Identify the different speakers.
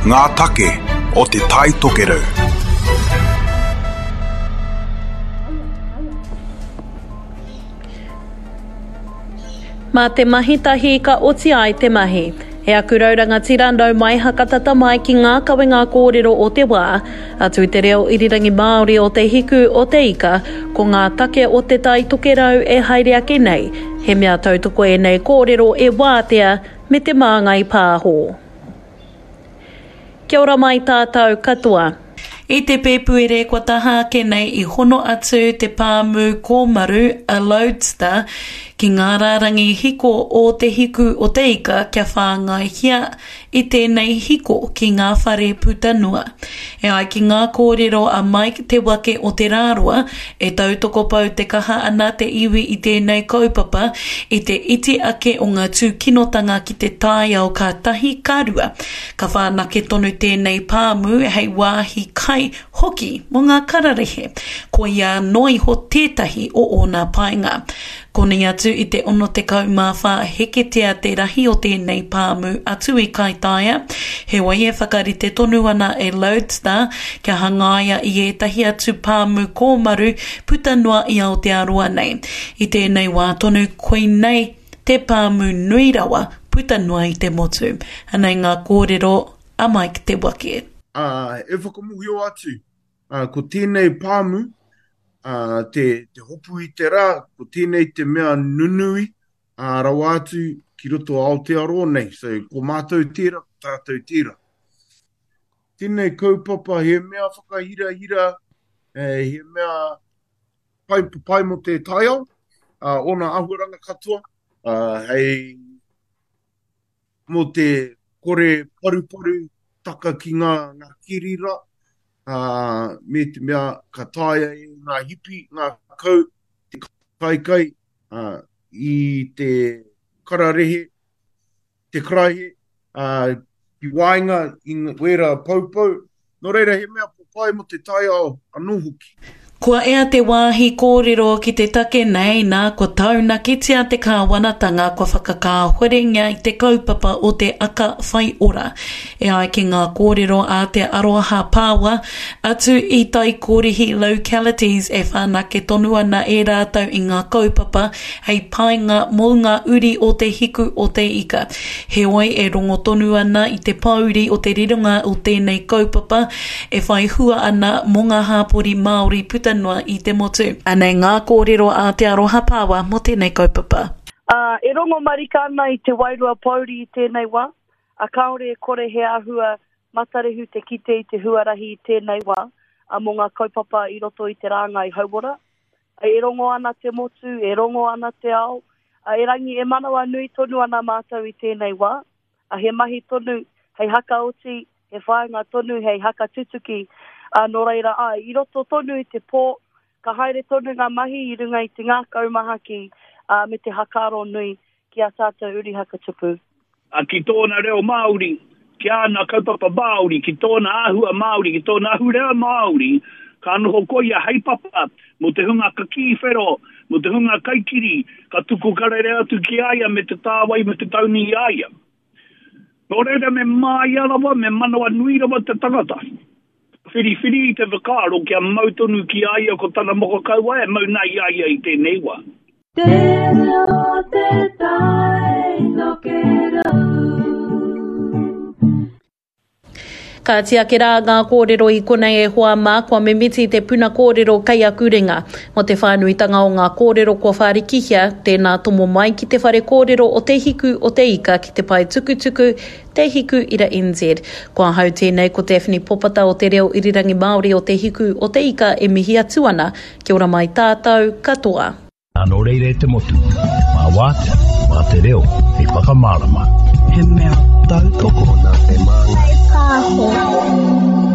Speaker 1: Ngā take o Te Tai Tokerau.
Speaker 2: Mā te mahi tahi ka oti ai te mahi. E aku rau rangatira nau mai hakatata mai ki ngā kawenga kōrero o te wā, atu i te reo irirangi Māori o Te Hiku o Te Ika, ko ngā take o Te Tai Tokerau e haere ake nei, he mea tautoko ēnei kōrero e Wātea me Te Māngai Pāho. Kia ora mai tātou katoa.
Speaker 3: I te Pēpuere kua taha ake nei i hono atu te pāmu kōmaru a Lodestar ki ngā rārangi hiko o Te Hiku o Te Ika kia whāngaihia i tēnei hiko ki ngā whare puta noa. E ai ki ngā kōrero a Mike Te Wake o Te Rāroa, e tautoko pau te kaha ana te iwi i tēnei kaupapa i te iti ake o ngā tūkinotanga ki te taiao ka tahi, ka rua. Ka whanake tonu tēnei pāmu hei wāhi kai hoki mō ngā kararehe. Koia noa iho tētahi o ōna painga. Koni atu i te 64 heketea te rahi o tēnei pāmu atu i Kaitaia, heoi e whakarite tonu ana e Lodestar kia hangaia i ētahi atu pāmu kōmaru puta noa i Aotearoa nei. I tēnei wā tonu koinei te pāmu nui rawa puta noa i te motu. Anei ngā kōrero a Mike Te Wake.
Speaker 4: Ā, e whakamohio atu, ā, ko tēnei pāmu, ā, te, te hopu i te rā, ko tēnei te mea nunui, ā, rawa atu ki roto Aotearoa nei. So, ko mātou tērā, ko tātou tērā. Tēnei kaupapa he mea whakahirahira, he mea pai, pai mō te taiao, ā, ōna āhuaranga katoa, ā, hei mō te kore paruparu taka ki ngā, ngā kiri rā, ā, me te mea ka taea e ngā hipi, ngā kau, te kaikai, ā, i te kararehe, te karaehe, ā, ki waenga i wērā poupou, nō reira he mea papai mō te taiao anō hoki.
Speaker 3: Kua ea te wāhi kōrero ki te take nei, nā, kua taunakitia te kāwanatanga kua whakakāhorengia i te kaupapa o te Aka Whai Ora. E ai ki ngā kōrero a Te Aroha Pāwa, atu i Taikōrihi Localities e whanake tonu ana e rātou i ngā kaupapa hei painga mō ngā uri o Te Hiku o Te Ika. Heoi, e rongo tonu ana i te pōuri o te rironga o tēnei kaupapa e whai hua ana mō ngā hāpori Māori puta noa i te motu. Anei ngā kōrero a Te Aroha Pāwa mō tēnei kaupapa.
Speaker 5: Ā, e rongo marika ana i te wairua pōuri i tēnei wā, ā, kāore e kore he āhua matarehu te kite i te huarahi i tēnei wā, ā, mō ngā kaupapa i roto i te rāngai hauora. E rongo ana te motu, e rongo ana te ao, erangi e manawanui tonu ana mātou i tēnei wā. He mahi tonu hei hakaoti, he whāinga tonu hei hakatutuki, nō reira, āe, i roto tonu i te pō, ka haere tonu ngā mahi i runga i te ngākau mahaki me te hakaaro nui ki ā tātou uri hakatupu.
Speaker 6: A ki tōna reo Māori, ki āna kaupapa Māori, ki tōna āhua Māori, ki tōna ahurea Māori, ka noho koia hei papa mō te hunga kakī whero, mō te hunga kaikiri, ka tuku karere atu ki a ia me te tāwai me te taunu i a ia. Nō reira me māia rawa, me manawanui rawa te tangata. Whiriwhiri i te whakaaro kia mau tonu ki a ia ko tana moko kauae e mau na i a ia i tēnei wā.
Speaker 7: Te reo o te tai tokerau.
Speaker 2: Ka tiaki rā ngā kōrero i konei e hoa mā, kua mimiti te puna kōrero kei aku ringa. Mō te whānuitanga o ngā kōrero kua whārikihia, tēnā tomo mai ki te whare kōrero o Te Hiku o Te Ika ki te pae tukutuku Te Hiku Ira NZ. Ko ahau tēnei ko Daphne Popata o Te Reo Irirangi Māori o Te Hiku o Te Ika e mihi atu ana. Kia ora mai tātou katoa.
Speaker 8: Nā nō reira e te motu, mā Wātea, mā te reo hei whakamārama.
Speaker 9: He mea tautoko
Speaker 10: nā Te Māngai Pāho.